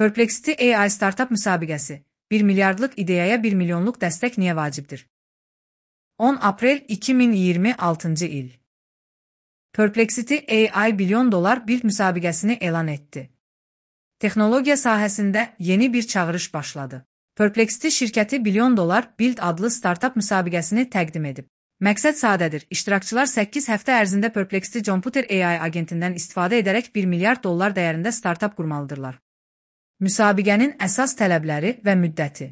Perplexity AI startup müsabiqəsi. 1 milyardlıq ideyaya 1 milyonluq dəstək niyə vacibdir? 10 aprel 2026 il. Perplexity AI bilyon dolar build müsabiqəsini elan etdi. Texnologiya sahəsində yeni bir çağırış başladı. Perplexity şirkəti bilyon dolar build adlı startup müsabiqəsini təqdim edib. Məqsəd sadədir. İştirakçılar 8 həftə ərzində Perplexity Jumputer AI agentindən istifadə edərək 1 milyard dollar dəyərində startup qurmalıdırlar. Müsabiqənin əsas tələbləri və müddəti.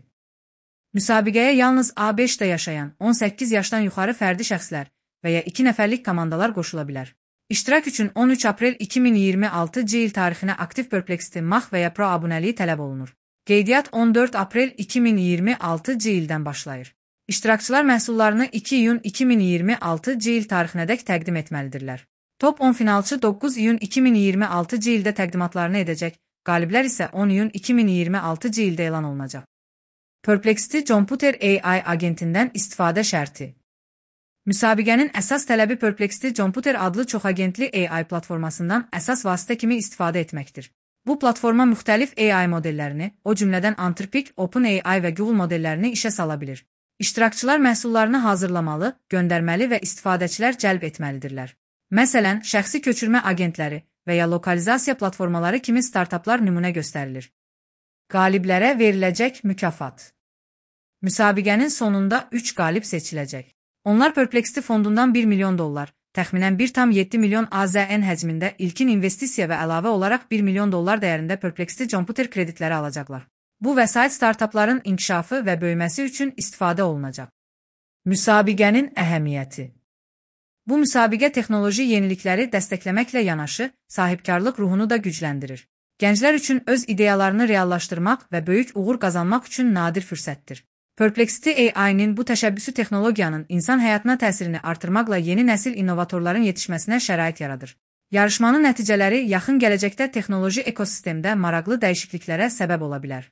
Müsabiqəyə yalnız ABŞ-da yaşayan 18 yaşdan yuxarı fərdi şəxslər və ya 2 nəfərlik komandalar qoşula bilər. İştirak üçün 13 aprel 2026 il tarixinə aktiv Perplexity Max və ya Pro abunəliyi tələb olunur. Qeydiyyat 14 aprel 2026 ildən başlayır. İştirakçılar məhsullarını 2 iyun 2026 il tarixinədək təqdim etməlidirlər. Top 10 finalçı 9 iyun 2026 ildə təqdimatlarını edəcək, qaliblər isə 10 iyun 2026 ildə elan olunacaq. Perplexity Jumputer AI agentindən istifadə şərti. Müsabiqənin əsas tələbi Perplexity Jumputer adlı çoxagentli AI platformasından əsas vasitə kimi istifadə etməkdir. Bu platforma müxtəlif AI modellərini, o cümlədən Anthropic, OpenAI və Google modellərini işə sala bilir. İştirakçılar məhsullarını hazırlamalı, göndərməli və istifadəçilər cəlb etməlidirlər. Məsələn, şəxsi köçürmə agentləri və ya lokalizasiya platformaları kimi startaplar nümunə göstərilir. Qaliblərə veriləcək mükafat. Müsabiqənin sonunda 3 qalib seçiləcək. Onlar Perplexity fondundan 1 milyon dollar, təxminən 1,7 milyon AZN həcmində ilkin investisiya və əlavə olaraq 1 milyon dollar dəyərində Perplexity Jumputer kreditləri alacaqlar. Bu vəsait startapların inkişafı və böyüməsi üçün istifadə olunacaq. Müsabiqənin əhəmiyyəti. Bu müsabiqə texnoloji yenilikləri dəstəkləməklə yanaşı, sahibkarlıq ruhunu da gücləndirir. Gənclər üçün öz ideyalarını reallaşdırmaq və böyük uğur qazanmaq üçün nadir fürsətdir. Perplexity AI-nin bu təşəbbüsü texnologiyanın insan həyatına təsirini artırmaqla yeni nəsil innovatorların yetişməsinə şərait yaradır. Yarışmanın nəticələri yaxın gələcəkdə texnoloji ekosistemdə maraqlı dəyişikliklərə səbəb ola bilər.